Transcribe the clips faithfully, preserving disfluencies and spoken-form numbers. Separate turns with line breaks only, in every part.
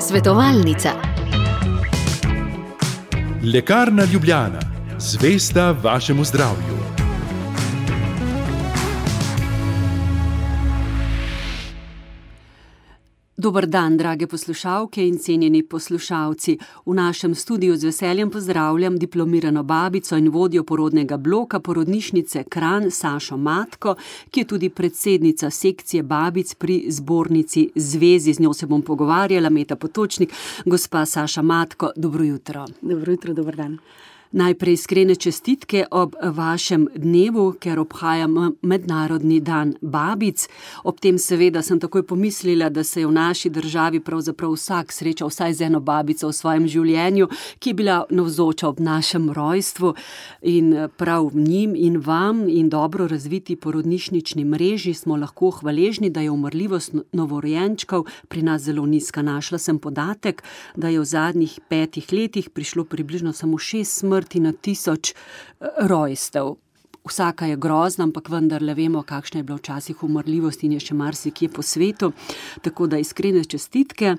Svetovalnica.
Lekarna Ljubljana, zvesta vašemu zdravju.
Dober dan, drage poslušalke in cenjeni poslušalci. V našem studiu z veseljem pozdravljam diplomirano babico in vodjo porodnega bloka porodnišnice Kranj Sašo Matko, ki je tudi predsednica sekcije babic pri zbornici Zvezi. Z njo se bom pogovarjala, Meta Potočnik. Gospa Saša Matko, dobro jutro.
Dobro jutro, dober dan.
Najprej iskrene čestitke ob vašem dnevu, ker obhajam mednarodni dan babic. Ob tem seveda sem takoj pomislila, da se je v naši državi pravzaprav vsak srečal vsaj z eno babico v svojem življenju, ki je bila navzoča ob našem rojstvu, in prav njim in vam in dobro razviti porodnišnični mreži smo lahko hvaležni, da je umrljivost novorojenčkov pri nas zelo nizka. Našla sem podatek, da je v zadnjih petih letih prišlo približno samo šest smrti na tisoč rojstev. Vsaka je grozna, ampak vendarle vemo, kakšna je bila včasih umrljivost in je še marsikje po svetu. Tako da iskrene čestitke.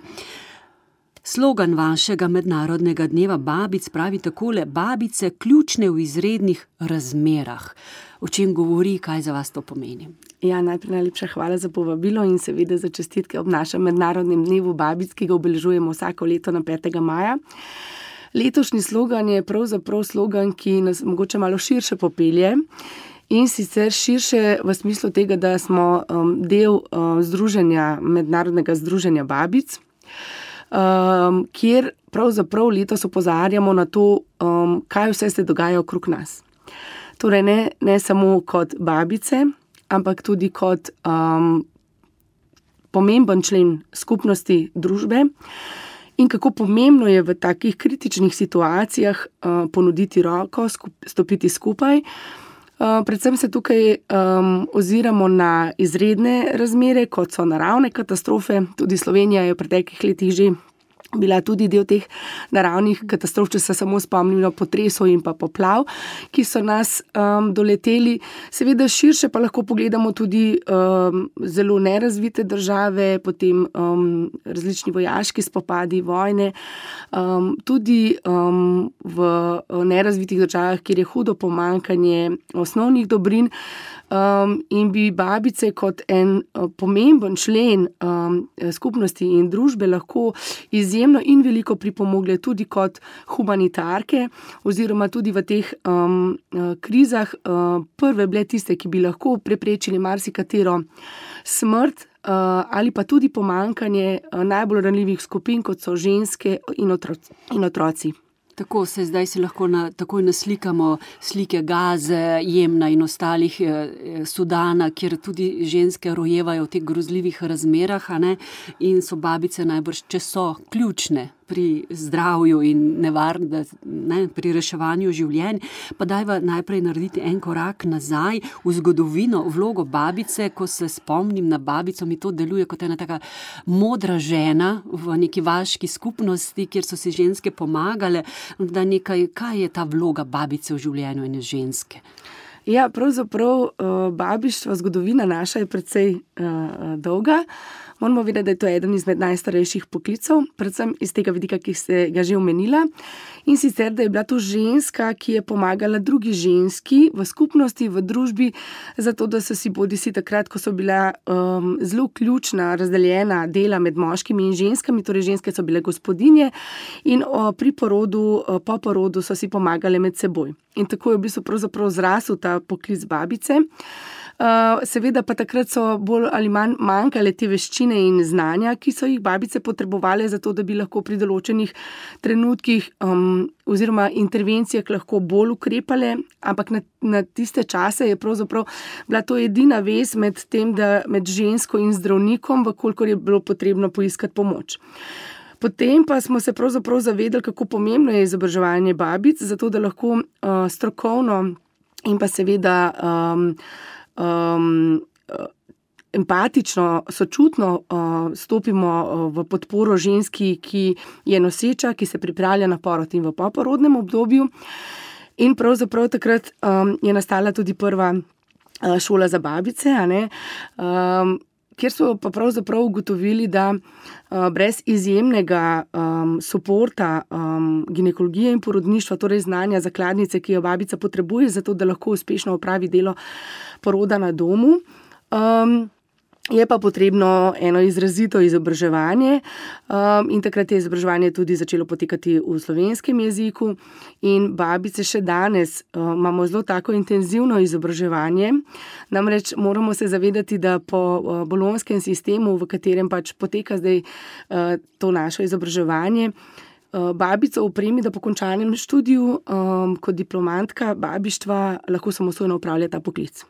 Slogan vašega mednarodnega dneva babic pravi takole: babice ključne v izrednih razmerah. O čem govori, kaj za vas to pomeni?
Ja, najprej najlepša hvala za povabilo in seveda za čestitke ob našem mednarodnem dnevu babic, ki ga obeležujemo vsako leto na petega maja. Letošnji slogan je pravzaprav slogan, ki nas mogoče malo širše popelje, in sicer širše v smislu tega, da smo um, del um, združenja, mednarodnega združenja babic, um, kjer pravzaprav letos opozarjamo na to, um, kaj vse se dogaja okrog nas. Torej ne, ne samo kot babice, ampak tudi kot um, pomemben člen skupnosti družbe. In kako pomembno je v takih kritičnih situacijah uh, ponuditi roko, skup, stopiti skupaj. Uh, predvsem se tukaj um, oziramo na izredne razmere, kot so naravne katastrofe. Tudi Slovenija je v preteklih letih že bila tudi del teh naravnih katastrof, če se samo spomnimo potresov in pa poplav, ki so nas um, doleteli. Seveda širše pa lahko pogledamo tudi um, zelo nerazvite države, potem um, različni vojaški spopadi, vojne, um, tudi um, v nerazvitih državah, kjer je hudo pomanjkanje osnovnih dobrin. Um, in bi babice kot en uh, pomemben člen um, skupnosti in družbe lahko izjemno in veliko pripomogle tudi kot humanitarke, oziroma tudi v teh um, uh, krizah uh, prve bile tiste, ki bi lahko preprečili marsikatero smrt uh, ali pa tudi pomanjkanje uh, najbolj ranljivih skupin, kot so ženske in otroci. In otroci.
Tako se zdaj si lahko na, takoj naslikamo slike Gaze, Jemna in ostalih eh, Sudana, kjer tudi ženske rojevajo v teh grozljivih razmerah, a ne? In so babice najbrž, če so ključne pri zdravju in nevarne, ne, pri reševanju življenj. Pa dajva najprej narediti en korak nazaj v zgodovino, vlogo babice. Ko se spomnim na babico, mi to deluje kot ena taka modra žena v neki vaški skupnosti, kjer so si ženske pomagale. Da nekaj, kaj je ta vloga babice v življenju ene ženske?
Ja, pravzaprav babištvo, zgodovina naša je precej uh, dolga. Moramo vedeti, da je to eden izmed najstarejših poklicev, predvsem iz tega vidika, ki ste ga že omenila. In sicer, da je bila to ženska, ki je pomagala drugi ženski v skupnosti, v družbi, zato da so si bodisi takrat, ko so bila um, zelo ključna, razdeljena dela med moškimi in ženskami, torej ženske so bile gospodinje in o, pri porodu, o, po porodu so si pomagale med seboj. In tako je v bistvu pravzaprav zrasel ta poklic babice. Uh, seveda pa takrat so bolj ali manj manjkale te veščine in znanja, ki so jih babice potrebovale za to, da bi lahko pri določenih trenutkih um, oziroma intervencijah lahko bolj ukrepale, ampak na, na tiste čase je pravzaprav bila to edina vez med tem, da med žensko in zdravnikom, vkolikor je bilo potrebno poiskati pomoč. Potem pa smo se pravzaprav zavedali, kako pomembno je izobraževanje babic, zato da lahko uh, strokovno in pa seveda um, Um, empatično, sočutno uh, stopimo uh, v podporo ženski, ki je noseča, ki se pripravlja na porod in v poporodnem obdobju. In pravzaprav takrat um, je nastala tudi prva uh, šola za babice, a ne? Um, kjer so pa pravzaprav ugotovili, da uh, brez izjemnega um, suporta um, ginekologije in porodništva, torej znanja zakladnice, ki jo babica potrebuje, zato da lahko uspešno opravi delo poroda na domu, um, je pa potrebno eno izrazito izobraževanje um, in takrat je izobraževanje tudi začelo potekati v slovenskem jeziku in babice še danes um, imamo zelo tako intenzivno izobraževanje. Namreč moramo se zavedati, da po uh, bolonjskem sistemu, v katerem pač poteka zdaj uh, to naše izobraževanje, uh, babico opremi, da po končanem študiju um, kot diplomantka babištva lahko samostojno opravlja ta poklic.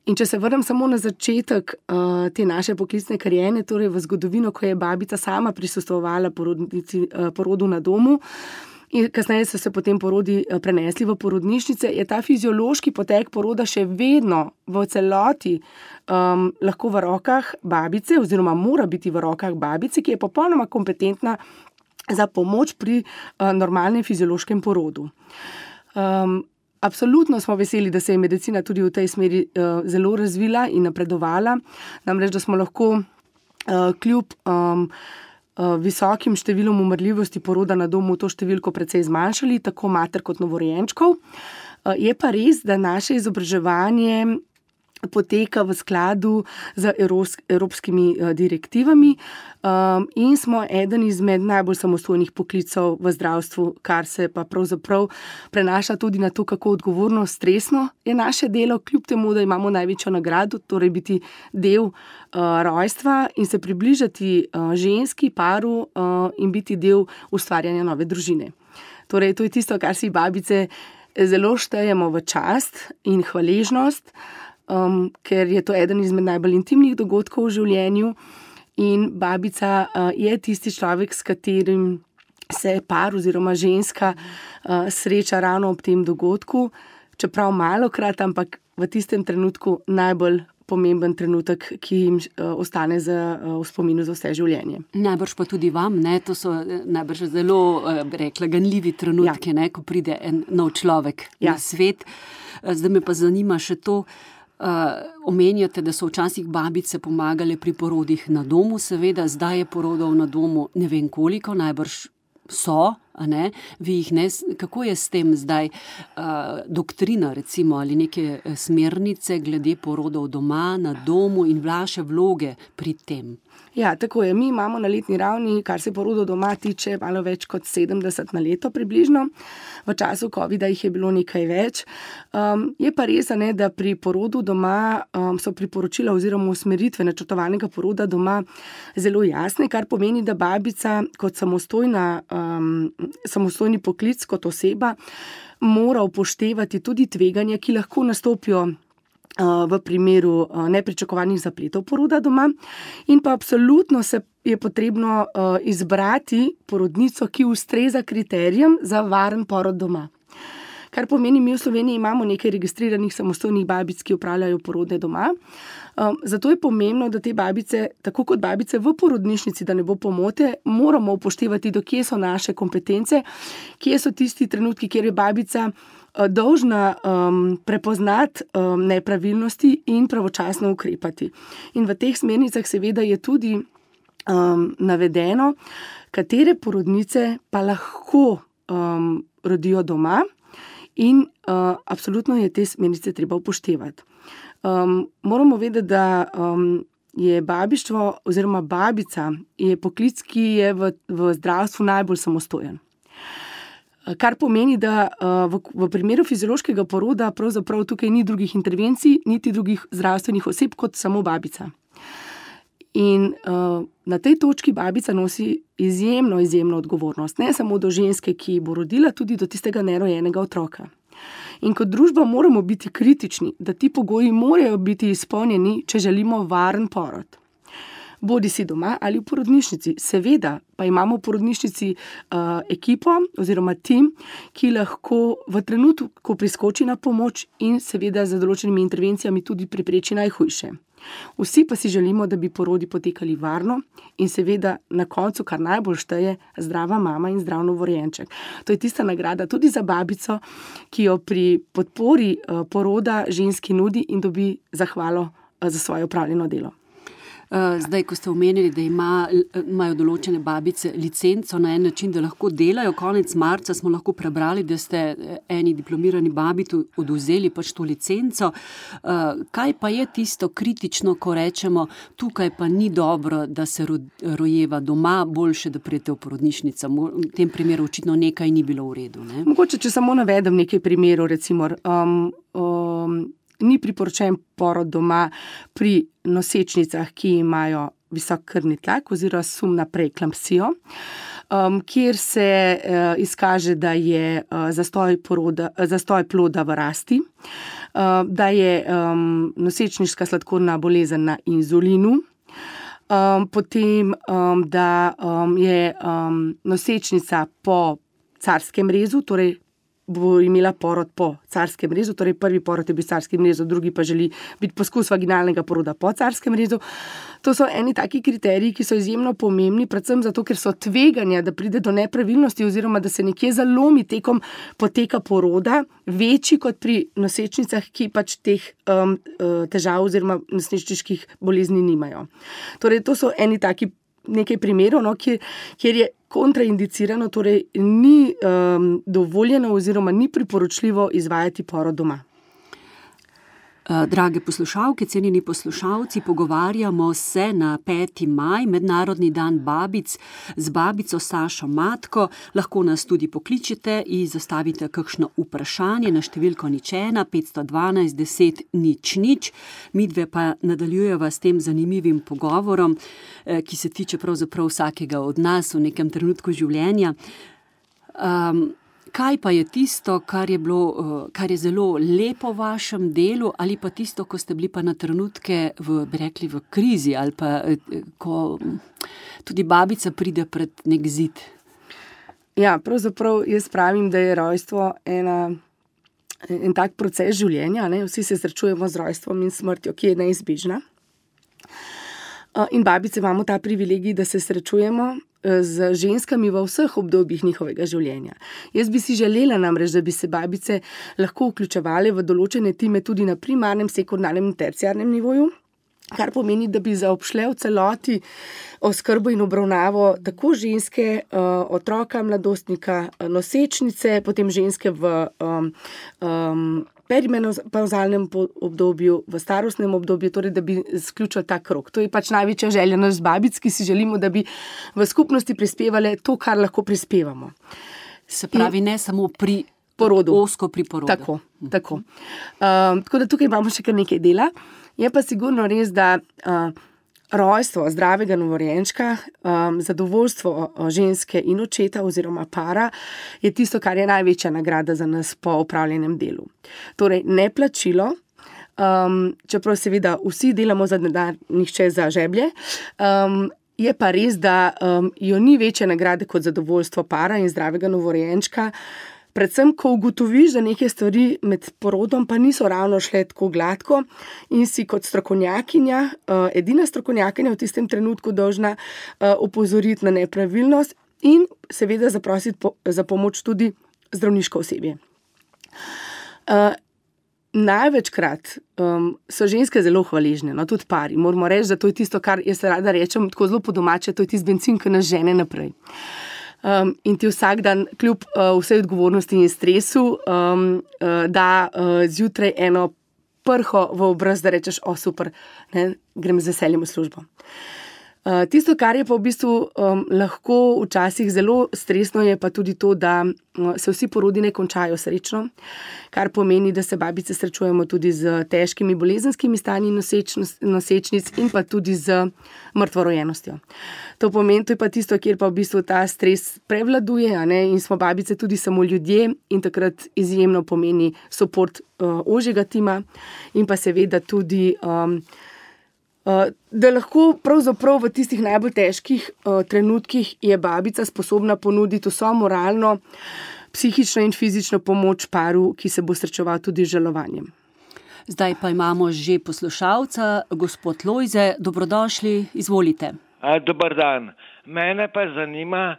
In če se vrnem samo na začetek uh, te naše poklicne kariere, torej v zgodovino, ko je babica sama prisostvovala porodnici, uh, porodu na domu in kasneje so se potem porodi uh, prenesli v porodnišnice, je ta fiziološki potek poroda še vedno v celoti um, lahko v rokah babice oziroma mora biti v rokah babice, ki je popolnoma kompetentna za pomoč pri uh, normalnem fiziološkem porodu. Um, Absolutno smo veseli, da se je medicina tudi v tej smeri uh, zelo razvila in napredovala. Namreč, da smo lahko uh, kljub um, uh, visokim številom umrljivosti poroda na domu to številko precej zmanjšali, tako mater kot novorojenčkov. Uh, je pa res, da naše izobraževanje poteka v skladu z evropskimi direktivami um, in smo eden izmed najbolj samostojnih poklicov v zdravstvu, kar se pa pravzaprav prenaša tudi na to, kako odgovorno, stresno je naše delo, kljub temu, da imamo največjo nagrado, torej biti del uh, rojstva in se približati uh, ženski paru uh, in biti del ustvarjanja nove družine. Torej, to je tisto, kar si babice zelo štejemo v čast in hvaležnost, Um, ker je to eden izmed najbolj intimnih dogodkov v življenju in babica uh, je tisti človek, s katerim se par oziroma ženska uh, sreča ravno ob tem dogodku, čeprav malokrat, ampak v tistem trenutku najbolj pomemben trenutek, ki jim uh, ostane za, uh, v spominu za vse življenje.
Najbrž pa tudi vam, ne? To so najbrž zelo, uh, rekla, ganljivi trenutki, ja. Ne? Ko pride en nov človek ja. Na svet. Zdaj me pa zanima še to, Uh, omenjate, da so včasih babice pomagale pri porodih na domu, seveda, zdaj je porodov na domu ne vem koliko, najbrž so, a ne? Vi jih ne, kako je s tem zdaj uh, doktrina, recimo, ali neke smernice glede porodov doma, na domu in vaše vloge pri tem?
Ja, tako je. Mi imamo na letni ravni, kar se porodov doma tiče, malo več kot sedemdeset na leto približno. V času covida jih je bilo nekaj več. Um, je pa res, ne, da pri porodu doma um, so priporočila oziroma usmeritve načrtovanega poroda doma zelo jasne, kar pomeni, da babica kot samostojna, um, samostojni poklic, kot oseba, mora upoštevati tudi tveganja, ki lahko nastopijo v primeru nepričakovanih zapletov poroda doma in pa absolutno se je potrebno izbrati porodnico, ki ustreza kriterijem za varen porod doma. Kar pomeni, mi v Sloveniji imamo nekaj registriranih samostojnih babic, ki opravljajo porode doma. Um, zato je pomembno, da te babice, tako kot babice v porodnišnici, da ne bo pomote, moramo upoštevati, do kje so naše kompetence, kje so tisti trenutki, kjer je babica uh, dolžna um, prepoznati um, nepravilnosti in pravočasno ukrepati. In v teh smernicah seveda je tudi um, navedeno, katere porodnice pa lahko um, rodijo doma. In uh, absolutno je te smernice treba upoštevati. Um, moramo vedeti, da um, je babištvo oziroma babica je poklic, ki je v, v zdravstvu najbolj samostojen. Kar pomeni, da uh, v, v primeru fiziološkega poroda pravzaprav tukaj ni drugih intervencij, niti drugih zdravstvenih oseb kot samo babica. In uh, na tej točki babica nosi izjemno, izjemno odgovornost. Ne samo do ženske, ki bo rodila, tudi do tistega nerojenega otroka. In kot družba moramo biti kritični, da ti pogoji morajo biti izpolnjeni, če želimo varen porod. Bodi si doma ali v porodnišnici. Seveda pa imamo v porodnišnici uh, ekipo oziroma tim, ki lahko v trenutku, ko priskoči na pomoč in seveda z določenimi intervencijami tudi prepreči najhujše. Vsi pa si želimo, da bi porodi potekali varno in seveda na koncu, kar najbolj šteje, zdrava mama in zdrav novorojenček. To je tista nagrada tudi za babico, ki jo pri podpori poroda ženski nudi in dobi zahvalo za svoje opravljeno delo.
Zdaj, ko ste omenili, da ima, imajo določene babice licenco na en način, da lahko delajo, konec marca smo lahko prebrali, da ste eni diplomirani babi odvzeli pač to licenco. Kaj pa je tisto kritično, ko rečemo, tukaj pa ni dobro, da se rojeva doma, boljše, da prijete v porodnišnico? V tem primeru očitno nekaj ni bilo v redu, ne?
Mogoče, če samo navedem nekaj primerov, recimo, um, um, ni priporočen porod doma pri nosečnicah, ki imajo visok krvni tlak oziroma sum na preeklampsijo, um, kjer se uh, izkaže, da je uh, zastoj, poroda, zastoj ploda v rasti, uh, da je um, nosečniška sladkorna bolezen na inzulinu, um, potem, um, da um, je um, nosečnica po carskem rezu, torej bo imela porod po carskem rezu, torej prvi porod je bil carskem rezu, drugi pa želi biti poskus vaginalnega poroda po carskem rezu. To so eni taki kriteriji, ki so izjemno pomembni, predvsem zato, ker so tveganja, da pride do nepravilnosti oziroma da se nekje zalomi tekom poteka poroda, večji kot pri nosečnicah, ki pač teh um, težav oziroma nosečniških bolezni nimajo. Torej, to so eni taki nekaj primerov, no, kjer, kjer je kontraindicirano, torej ni um, dovoljeno oziroma ni priporočljivo izvajati porod doma.
Drage poslušalke, cenjeni poslušalci, pogovarjamo se na peti maj, Mednarodni dan babic, z babico Sašo Matko. Lahko nas tudi pokličete in zastavite kakšno vprašanje na številko nič ena petsto dvanajst deset nič nič. Midve pa nadaljujeva s tem zanimivim pogovorom, ki se tiče pravzaprav vsakega od nas v nekem trenutku življenja. Um, Kaj pa je tisto, kar je bilo, kar je zelo lepo v vašem delu, ali pa tisto, ko ste bili pa na trenutke v, bi rekli, v krizi, ali pa ko tudi babica pride pred nek zid?
Ja, pravzaprav jaz pravim, da je rojstvo ena, en tak proces življenja, ne? Vsi se srečujemo z rojstvom in smrtjo, ki je neizbežna. In babice imamo ta privilegij, da se srečujemo z ženskami v vseh obdobjih njihovega življenja. Jaz bi si želela namreč, da bi se babice lahko vključevale v določene time tudi na primarnem, sekundarnem in terciarnem nivoju, kar pomeni, da bi zaobšle v celoti oskrbo in obravnavo tako ženske, otroka, mladostnika, nosečnice, potem ženske v um, um, perimenopavzalnem obdobju, v starostnem obdobju, torej da bi sključili ta krog. To je pač največja želja nas babic, ki si želimo, da bi v skupnosti prispevale to, kar lahko prispevamo.
Se pravi, in ne samo pri
porodu.
Osko pri porodu.
Tako, tako. Um, tako da tukaj imamo še kar nekaj dela. Je pa sigurno res, da uh, rojstvo zdravega novorojenčka, um, zadovoljstvo ženske in očeta oziroma para je tisto, kar je največja nagrada za nas po opravljenem delu. Torej, ne plačilo, um, čeprav seveda vsi delamo za denar, nihče za žeblje, um, je pa res, da um, jo ni večje nagrade kot zadovoljstvo para in zdravega novorojenčka. Predvsem, ko ugotoviš, da neke stvari med porodom pa niso ravno šle tako gladko in si kot strokovnjakinja, edina strokovnjakinja v tistem trenutku dolžna opozoriti na nepravilnost in seveda zaprositi za pomoč tudi zdravniško osebje. Največkrat um, so ženske zelo hvaležne, no, tudi pari. Moramo reči, da to je tisto, kar jaz rada rečem, tako zelo po domače, to je tisti bencin, ki nas žene naprej. Um, in ti vsak dan, kljub uh, vsej odgovornosti in stresu, um, uh, da uh, zjutraj eno prho v obraz, da rečeš, o super, ne, grem z veseljem v službo. Uh, tisto, kar je pa v bistvu um, lahko včasih zelo stresno, je pa tudi to, da uh, se vsi porodi ne končajo srečno, kar pomeni, da se babice srečujemo tudi z težkimi bolezenskimi stanji nosečnic in pa tudi z mrtvorojenostjo. To pomeni, to je pa tisto, kjer pa v bistvu ta stres prevladuje, a ne, in smo babice tudi samo ljudje in takrat izjemno pomeni suport uh, ožjega tima in pa seveda tudi um, Uh, da lahko pravzaprav v tistih najbolj težkih uh, trenutkih je babica sposobna ponuditi vso moralno, psihično in fizično pomoč paru, ki se bo srečeval tudi z žalovanjem.
Zdaj pa imamo že poslušalca, gospod Lojze, dobrodošli, izvolite.
A, dober dan. Mene pa zanima,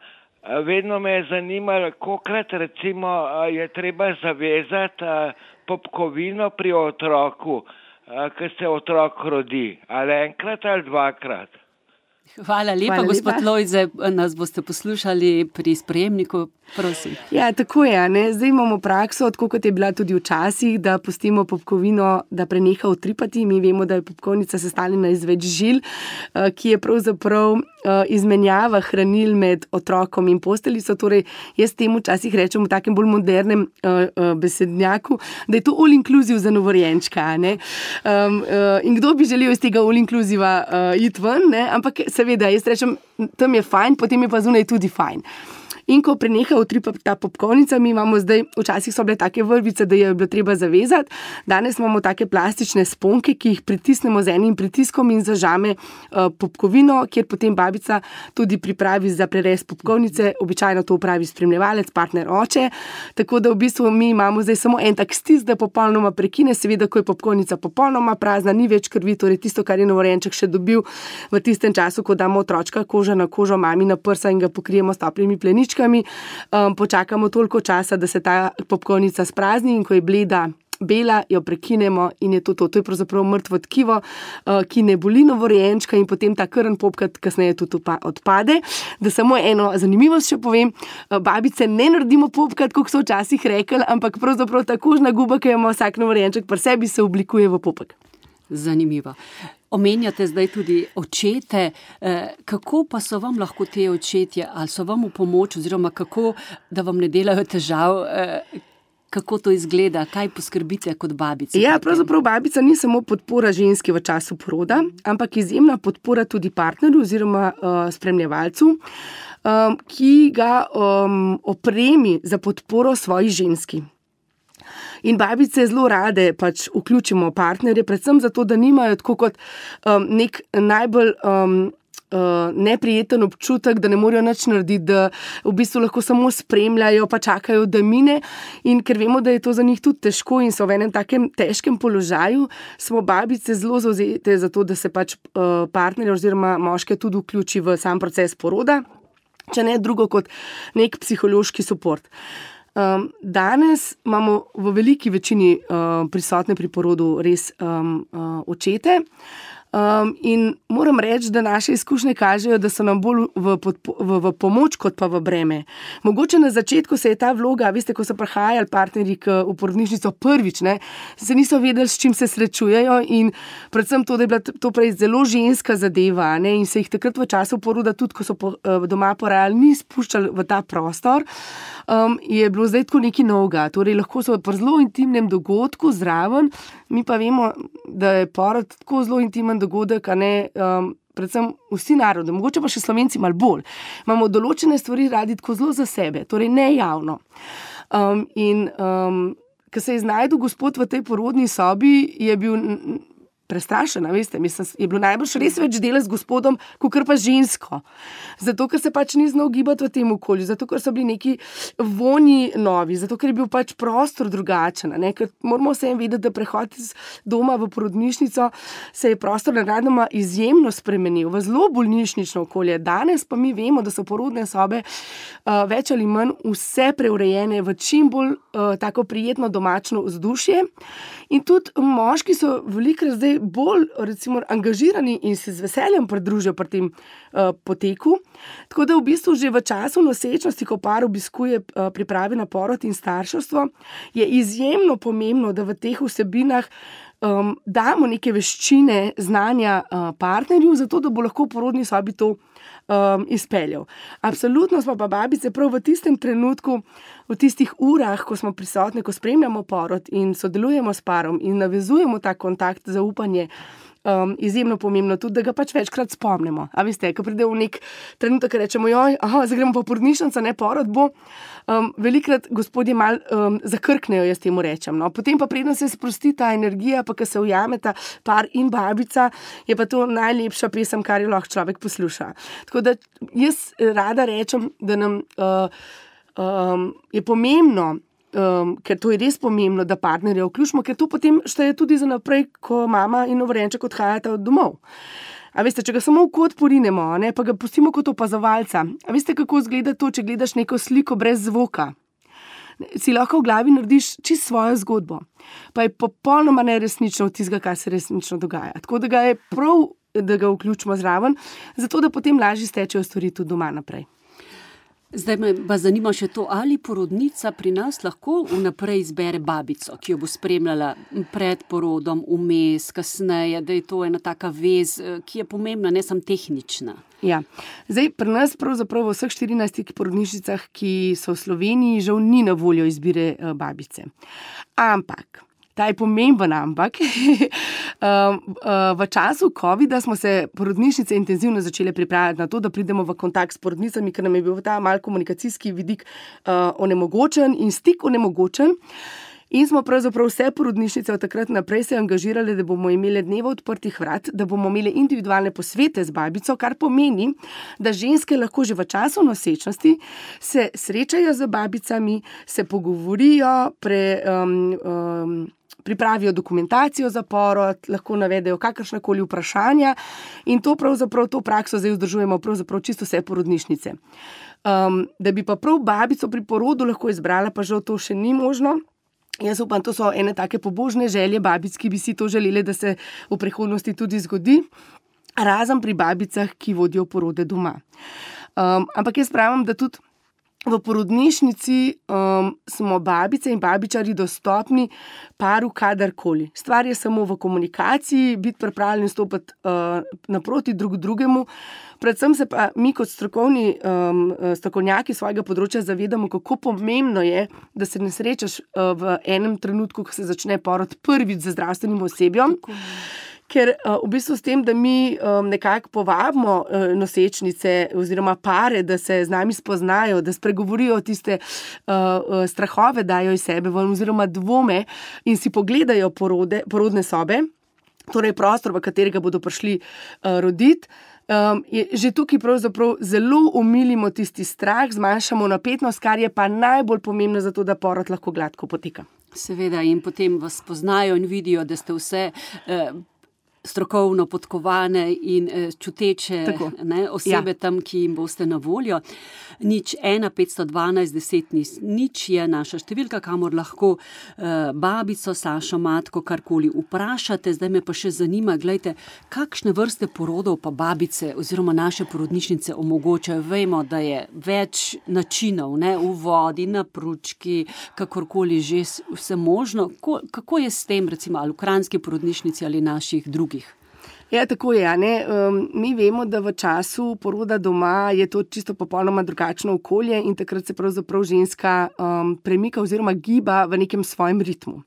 vedno me je zanimalo, kolikrat recimo je treba zavezati popkovino pri otroku. ko se otrok rodi, ali enkrat ali dvakrat.
Hvala lepa, Hvala gospod lepa. Lojze, nas boste poslušali pri sprejemniku, prosim.
Ja, tako je, ne? Zdaj imamo prakso, tako kot je bila tudi včasih, da pustimo popkovino, da preneha utripati. Mi vemo, da je popkovnica sestavljena iz več žil, ki je pravzaprav izmenjava hranil med otrokom in posteljico. Torej, jaz temu včasih rečem v takem bolj modernem besednjaku, da je to all inclusive za novorojenčka, ne? Um, uh, in kdo bi želel iz tega all inclusiva uh, iti ven, ne? Ampak seveda, jaz rečem, tam je fajn, potem je pa zunaj tudi fajn. In ko preneha utripati ta popkovnica, mi imamo zdaj, včasih so bile take vrvice, da je bilo treba zavezati, danes imamo take plastične sponke, ki jih pritisnemo z enim pritiskom in zažame uh, popkovino, kjer potem babica tudi pripravi za prerez popkovnice, običajno to upravi spremljevalec, partner oče, tako da v bistvu mi imamo zdaj samo en tak stisk, da popolnoma prekine, seveda, ko je popkovnica popolnoma prazna, ni več krvi, torej tisto, kar je novorojenček še dobil v tistem času, ko damo otročka koža na kožo mami na prsa in ga pokrijemo s toplimi pleničkami. Um, počakamo toliko časa, da se ta popkovnica sprazni in ko je bleda, bela, jo prekinemo in je to to. To je pravzaprav mrtvo tkivo, uh, ki ne boli novorojenčka in potem ta krn popkat kasneje tudi odpade. Da samo eno zanimivost še povem, uh, babice ne naredimo popkat, kot so včasih rekli, ampak pravzaprav ta kožna guba, ki jo ima vsak novorojenček pri sebi, se oblikuje v popek.
Zanimivo. Omenjate zdaj tudi očete, kako pa so vam lahko te očetje, ali so vam v pomoč, oziroma kako, da vam ne delajo težav, kako to izgleda, kaj poskrbite kot babica?
Ja, pravzaprav babica ni samo podpora ženski v času poroda, ampak izjemna podpora tudi partnerju oziroma uh, spremljevalcu, um, ki ga um, opremi za podporo svoji ženski. In babice zelo rade pač vključimo partnerje, predvsem zato, da nimajo tako kot um, nek najbolj um, uh, neprijeten občutek, da ne morejo nič narediti, da v bistvu lahko samo spremljajo, pa čakajo, da mine. In ker vemo, da je to za njih tudi težko in so v enem takem težkem položaju, smo babice zelo zavzete za to, da se pač uh, partnerje oziroma moške tudi vključi v sam proces poroda, če ne drugo kot nek psihološki suport. Um, danes imamo v veliki večini uh, prisotne pri porodu res um, uh, očete. Um, in moram reči, da naše izkušnje kažejo, da so nam bolj v, v, v pomoč kot pa v breme. Mogoče na začetku se je ta vloga, veste, ko so prihajali partnerji v porodnišnico prvič, ne, se niso vedeli, s čim se srečujejo in predvsem to, da je bila to prej zelo ženska zadeva, ne, in se jih takrat v času poroda, tudi ko so po, doma porajali, ni spuščali v ta prostor, um, je bilo zdaj tako nekaj novega. Torej lahko so pri zelo intimnem dogodku zraven, mi pa vemo, da je porod tako zelo intimen dogodek, a ne um, predvsem vsi narodi, mogoče pa še Slovenci malo bolj. Imamo določene stvari radi tako zelo za sebe, torej ne javno. Um, in um, ko se je znajdel gospod v tej porodni sobi, je bil prestrašena, veste, mislim, je bilo najbolj res več dela z gospodom, kakor pa žensko. Zato, ker se pač ni znal gibati v tem okolju, zato, ker so bili neki vonji novi, zato, ker je bil pač prostor drugačen, ne, ker moramo vsem vedeti, da prehod iz doma v porodnišnico se je prostor nenadoma izjemno spremenil, v zelo bolnišnično okolje. Danes pa mi vemo, da so porodne sobe uh, več ali manj vse preurejene v čim bolj uh, tako prijetno domačno vzdušje in tudi moški so velikokrat zdaj bolj recimo angažirani in se z veseljem pridružijo pri tem uh, poteku. Tako da v bistvu že v času nosečnosti, ko par obiskuje uh, priprave na porod in starševstvo, je izjemno pomembno, da v teh vsebinah um, damo neke veščine, znanja uh, partnerju, zato da bo lahko v porodni sobi to um, izpeljal. Absolutno smo pa babice prav v tistem trenutku, v tistih urah, ko smo prisotni, ko spremljamo porod in sodelujemo s parom in navezujemo ta kontakt, zaupanje, um, izjemno pomembno tudi, da ga pač večkrat spomnimo. A veste, ko pride v nek trenutek, rečemo, joj, aha, zdaj gremo pa porodnišnico, ne porod bo, um, velikrat gospodje mal um, zakrknejo, jaz temu rečem. No. Potem pa predno se sprosti ta energija, pa ko se ujameta par in babica, je pa to najlepša pesem, kar jo lahko človek posluša. Tako da jaz rada rečem, da nam uh, um, je pomembno, Um, ker to je res pomembno, da partnerje vključimo, ker to potem šteje tudi za naprej, ko mama in novorojenček odhajata od domov. A veste, če ga samo v kot porinemo, ne, pa ga pustimo kot opazovalca. A veste, kako izgleda to, če gledaš neko sliko brez zvoka? si lahko v glavi narediš čisto svojo zgodbo. Pa je popolnoma neresnično od tistega, kar se resnično dogaja. Tako da ga je prav, da ga vključimo zraven, zato da potem lažje stečejo stvari tudi doma naprej.
Zdaj me pa zanima še to, ali porodnica pri nas lahko vnaprej izbere babico, ki jo bo spremljala pred porodom, vmes, kasneje, da je to ena taka vez, ki je pomembna, ne samo tehnična.
Ja, zdaj pri nas pravzaprav v vseh štirinajstih porodnišnicah, ki so v Sloveniji, žal ni na voljo izbire babice. Ampak ta je pomemben, ampak v času covida smo se porodnišnice intenzivno začele pripravljati na to, da pridemo v kontakt s porodnicami, ker nam je bil ta mal komunikacijski vidik onemogočen in stik onemogočen. In smo pravzaprav vse porodnišnice od takrat naprej se angažirali, da bomo imeli dneve odprtih vrat, da bomo imeli individualne posvete z babico, kar pomeni, da ženske lahko že v času nosečnosti se srečajo z babicami, se pogovorijo, pre, um, um, pripravijo dokumentacijo za porod, lahko navedejo kakršnakoli vprašanja in to pravzaprav to prakso zdaj vzdržujemo pravzaprav čisto vse porodnišnice. Um, da bi pa prav babico pri porodu lahko izbrala, pa žal to še ni možno. Jaz upam, to so ene take pobožne želje babic, ki bi si to želeli, da se v prihodnosti tudi zgodi, razen pri babicah, ki vodijo porode doma. Um, ampak jaz pravim, da tudi v porodnišnici um, smo babice in babičari dostopni paru kadarkoli. Stvar je samo v komunikaciji, biti pripravljen stopiti uh, naproti drug drugemu. Predvsem se pa mi kot strokovni um, strokovnjaki svojega področja zavedamo, kako pomembno je, da se ne srečaš uh, v enem trenutku, ko se začne porod prvič z zdravstvenim osebjem. Ker uh, v bistvu s tem, da mi um, nekako povabimo uh, nosečnice oziroma pare, da se z nami spoznajo, da spregovorijo tiste uh, uh, strahove, dajo iz sebe oziroma dvome in si pogledajo porode, porodne sobe, torej prostor, v katerega bodo prišli uh, roditi, um, je že tukaj pravzaprav zelo omilimo tisti strah, zmanjšamo napetnost, kar je pa najbolj pomembno za to, da porod lahko gladko poteka.
Seveda in potem vas poznajo in vidijo, da ste vse eh, strokovno podkovane in eh, čuteče ne, osebe ja. Tam, ki jim boste na voljo. Nič ena petsto dvanajst deset nič je naša številka, kamor lahko eh, babico, Sašo, matko, karkoli vprašate. Zdaj me pa še zanima, gledajte, kakšne vrste porodov pa babice oziroma naše porodnišnice omogočajo. Vemo, da je več načinov, ne, v vodi, na pručki, kakorkoli že vse možno. Ko, kako je s tem, recimo, ali v kranjski porodnišnici ali naših drugih?
Ja, tako je. Ne? Um, mi vemo, da v času poroda doma je to čisto popolnoma drugačno okolje in takrat se pravzaprav ženska um, premika oziroma giba v nekem svojem ritmu.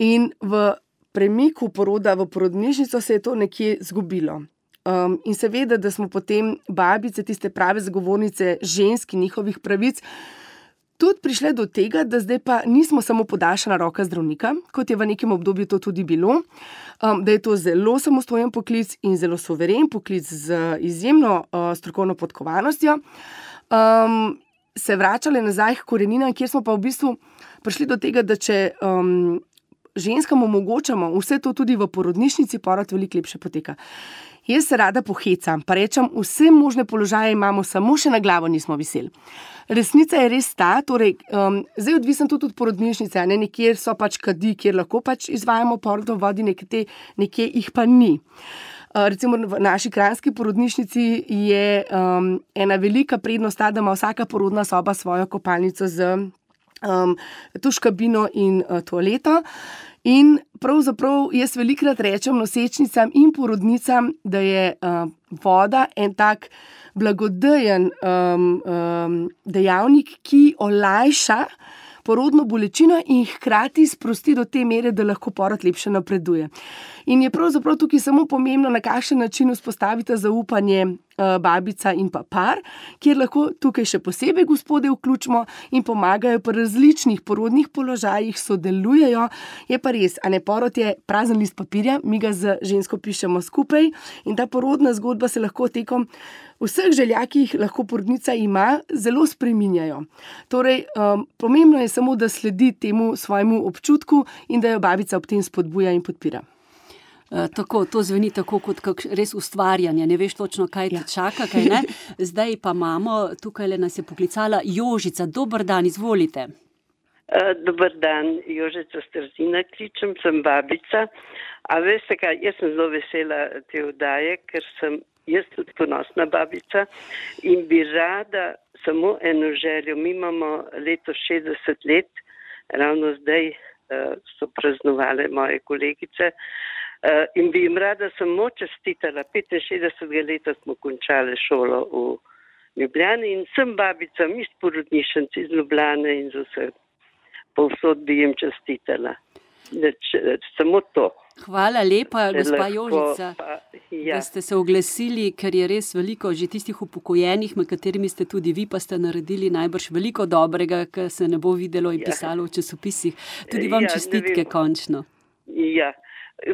In v premiku poroda v porodnišnico se je to nekje zgubilo. Um, in seveda, da smo potem babice, tiste prave zagovornice žensk in njihovih pravic, tudi prišle do tega, da zdaj pa nismo samo podaljšana roka zdravnika, kot je v nekem obdobju to tudi bilo, um, da je to zelo samostojen poklic in zelo suveren poklic z izjemno uh, strokovno podkovanostjo, um, se vračale nazaj k koreninam, kjer smo pa v bistvu prišli do tega, da če um, ženskam omogočamo vse to tudi v porodnišnici, porod veliko lepše poteka. Jaz se rada pohecam, pa rečem, vse možne položaje imamo, samo še na glavo nismo viseli. Resnica je res ta, torej, um, zdaj odvisen tudi od porodnišnice, ne, nekjer so pač kadi, kjer lahko pač izvajamo porod v vodi, nekje, nekje jih pa ni. Uh, recimo v naši kranjski porodnišnici je um, ena velika prednost ta, da ima vsaka porodna soba svojo kopalnico z um, tuš kabino in uh, toaleto. In pravzaprav jaz velikrat rečem nosečnicam in porodnicam, da je uh, voda en tak blagodejen um, um, dejavnik, ki olajša porodno bolečino in hkrati sprosti do te mere, da lahko porod lepše napreduje. In je pravzaprav tukaj samo pomembno, na kakšen način vzpostavite zaupanje uh, babica in pa par, kjer lahko tukaj še posebej gospode vključimo in pomagajo pri različnih porodnih položajih, sodelujejo. Je pa res, a ne, porod je prazen list papirja, mi ga z žensko pišemo skupaj in ta porodna zgodba se lahko tekom vseh želja, ki jih lahko porodnica ima, zelo spreminjajo. Torej, um, pomembno je samo, da sledi temu svojemu občutku in da jo babica ob tem spodbuja in podpira.
Uh, tako, to zveni tako kot kak, res ustvarjanje, ne veš točno, kaj te ja. čaka, kaj ne. Zdaj pa imamo, tukaj le nas je poklicala Jožica. Dober dan, izvolite.
Uh, dober dan, Jožica Strzina kličem, sem babica. A veste kaj, jaz sem zelo vesela te oddaje, ker sem jaz tudi ponosna babica in bi rada samo eno željo. Mi imamo leto šestdeset let, ravno zdaj uh, so praznovale moje kolegice uh, in bi jim rada samo čestitala. petinšestdesetega leta smo končali šolo v Ljubljani in sem babica, mi s porodnišnici iz Ljubljane in z vse. Povsod bi jim čestitala. Samo to.
Hvala lepa,
Če
gospa
lahko,
Jožica,
pa, ja.
da ste se oglasili, ker je res veliko že tistih upokojenih, med katerimi ste tudi vi, pa ste naredili najbrž veliko dobrega, kar se ne bo videlo in
Ja.
pisalo v časopisih. Tudi vam
Ja, ne
čestitke
vem.
končno.
Ja,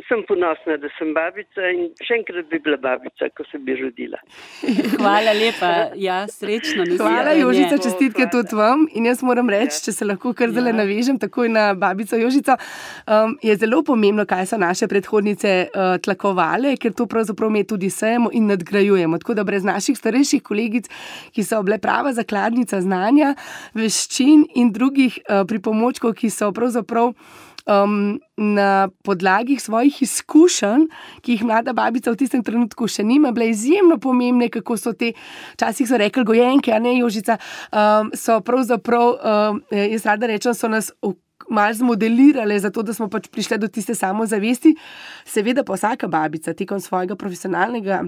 sem ponosna, da sem babica in še enkrat bi bila babica, ko se bi rodila.
Hvala lepa, ja, srečno.
Hvala,
nasvidenje.
Jožica, čestitke
Hvala.
tudi vam. In jaz moram reči,
Ja.
če se lahko kar zdaj
Ja.
navežem takoj na babico Jožico, um, je zelo pomembno, kaj so naše predhodnice uh, tlakovale, ker to pravzaprav mi tudi sejemo in nadgrajujemo. Tako da brez naših starejših kolegic, ki so bile prava zakladnica znanja, veščin in drugih uh, pripomočkov, ki so pravzaprav Um, na podlagi svojih izkušenj, ki jih mlada babica v tistem trenutku še nima, bile izjemno pomembne, kako so te, včasih so rekli gojenke, a ne Jožica, um, so pravzaprav, um, jaz rada rečem, so nas malo zmodelirale, zato da smo pač prišli do tiste samozavesti. Seveda pa vsaka babica tekom svojega profesionalnega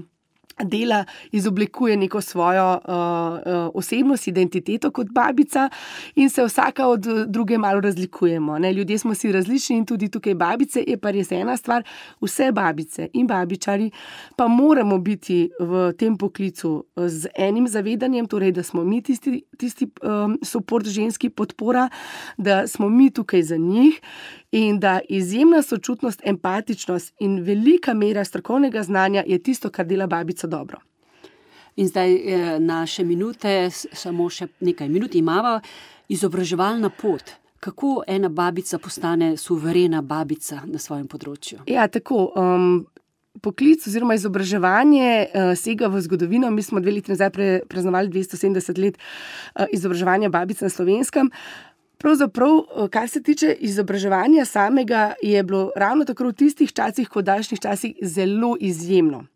dela izoblikuje neko svojo uh, uh, osebnost, identiteto kot babica in se vsaka od druge malo razlikujemo. Ne? Ljudje smo si različni in tudi tukaj babice, je pa res ena stvar, vse babice in babičari pa moramo biti v tem poklicu z enim zavedanjem, torej da smo mi tisti, tisti um, support ženski podpora, da smo mi tukaj za njih in da izjemna sočutnost, empatičnost in velika mera strokovnega znanja je tisto, kar dela babico dobro.
In zdaj eh, naše minute, s- samo še nekaj minut imava, izobraževalna pot. Kako ena babica postane suverena babica na svojem področju?
Ja, tako. Um, poklic oziroma izobraževanje uh, sega v zgodovino. Mi smo dve leti nazaj pre, praznovali dvesto sedemdeset let uh, izobraževanja babic na Slovenskem. Pravzaprav, kar se tiče izobraževanja samega, je bilo ravno tako v tistih časih, kot v današnjih časih, zelo izjemno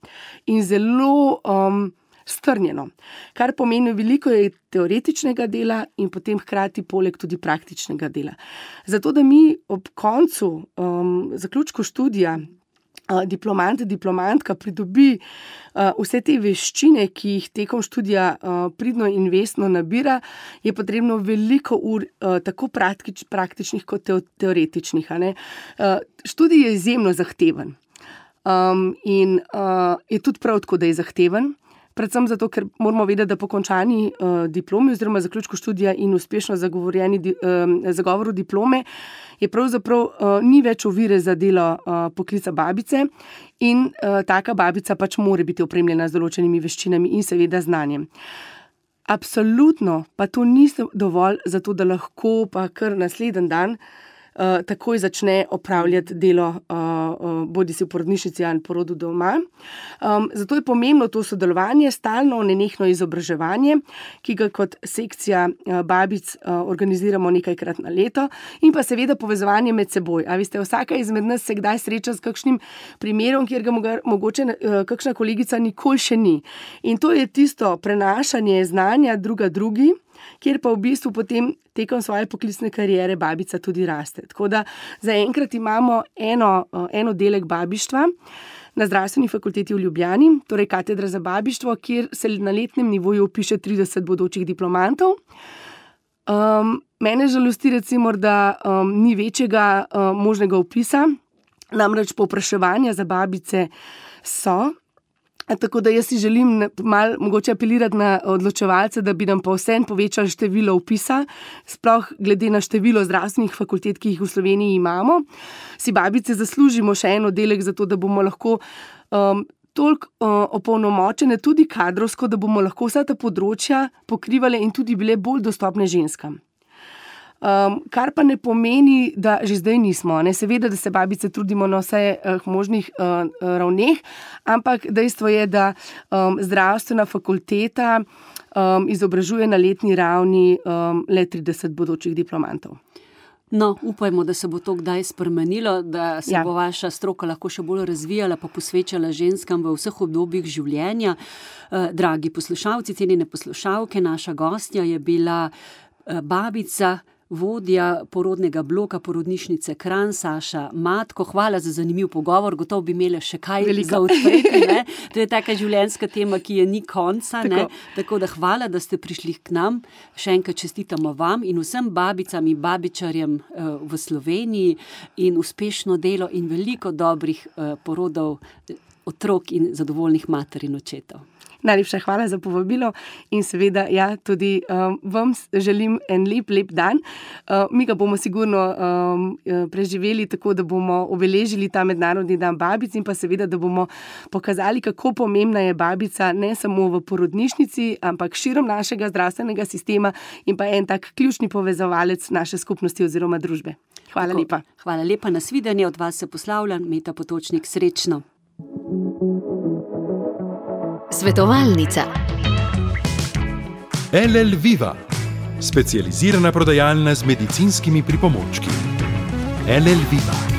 in zelo um, strnjeno. Kar pomeni veliko je teoretičnega dela in potem hkrati poleg tudi praktičnega dela. Zato, da mi ob koncu, um, zaključku študija, Uh, diplomant, diplomantka pridobi uh, vse te veščine, ki jih tekom študija uh, pridno in vestno nabira, je potrebno veliko ur, uh, tako praktič, praktičnih kot teo, teoretičnih. A ne? Uh, študij je izjemno zahteven um, in uh, je tudi prav tako, da je zahteven. Predvsem zato, ker moramo vedeti, da po končani uh, diplomi oziroma zaključku študija in uspešno zagovorjeni di, um, zagovoru diplome je pravzaprav uh, ni več ovire za delo uh, poklica babice in uh, taka babica pač mora biti opremljena z določenimi veščinami in seveda znanjem. Absolutno pa to ni dovolj za to, da lahko pa kar naslednji dan Uh, takoj začne opravljati delo uh, uh, bodi si v porodnišnici ali porodu doma. Um, zato je pomembno to sodelovanje, stalno nenehno izobraževanje, ki ga kot sekcija uh, babic uh, organiziramo nekajkrat na leto in pa seveda povezovanje med seboj. A veste, vsaka izmed nas se kdaj sreča s kakšnim primerom, kjer ga moga, mogoče uh, kakšna kolegica nikoli še ni. In to je tisto prenašanje znanja druga drugi, kjer pa v bistvu potem tekom svoje poklicne kariere babica tudi raste. Tako da zaenkrat imamo eno, en oddelek babištva na Zdravstveni fakulteti v Ljubljani, torej katedra za babištvo, kjer se na letnem nivoju upiše trideset bodočih diplomantov. Um, mene žalosti recimo, da um, ni večjega um, možnega upisa, namreč povpraševanja za babice so. Tako da jaz si želim malo mogoče apelirati na odločevalce, da bi nam pa vsem povečali število vpisa, sploh glede na število zdravstvenih fakultet, ki jih v Sloveniji imamo. Si babice zaslužimo še en oddelek, zato da bomo lahko um, toliko uh, opolnomočene tudi kadrovsko, da bomo lahko vsa ta področja pokrivale in tudi bile bolj dostopne ženskam. Um, kar pa ne pomeni, da že zdaj nismo. Ne? Seveda, da se babice trudimo na vse uh, možnih uh, ravneh, ampak dejstvo je, da um, zdravstvena fakulteta um, izobražuje na letni ravni um, le trideset bodočih diplomantov.
No, upajmo, da se bo to kdaj spremenilo, da se
Ja.
bo vaša stroka lahko še bolj razvijala, pa posvečala ženskam v vseh obdobjih življenja. Eh, Dragi poslušalci, cenjene poslušalke, naša gostja je bila eh, babica, vodja porodnega bloka porodnišnice Kranj, Saša Matko. Hvala za zanimiv pogovor, gotovo bi imela še kaj
Veliko.
za odpreti, ne? To je taka življenjska tema, ki je ni konca, ne?
Tako.
Tako da hvala, da ste prišli k nam. Še enkrat čestitamo vam in vsem babicam in babičarjem eh, v Sloveniji in uspešno delo in veliko dobrih eh, porodov eh, otrok in zadovoljnih mater in očetov.
Najlepša hvala za povabilo in seveda ja, tudi um, vam s- želim en lep, lep dan. Uh, mi ga bomo sigurno um, eh, preživeli tako, da bomo obeležili ta mednarodni dan babic in pa seveda, da bomo pokazali, kako pomembna je babica ne samo v porodnišnici, ampak širom našega zdravstvenega sistema in pa en tak ključni povezovalec naše skupnosti oziroma družbe. Hvala
Tako,
lepa.
Hvala lepa, nasvidenje, od vas se poslavljam, Meta Potočnik, srečno.
Svetovalnica.
L L Viva, specializirana prodajalna z medicinskimi pripomočki. L L Viva.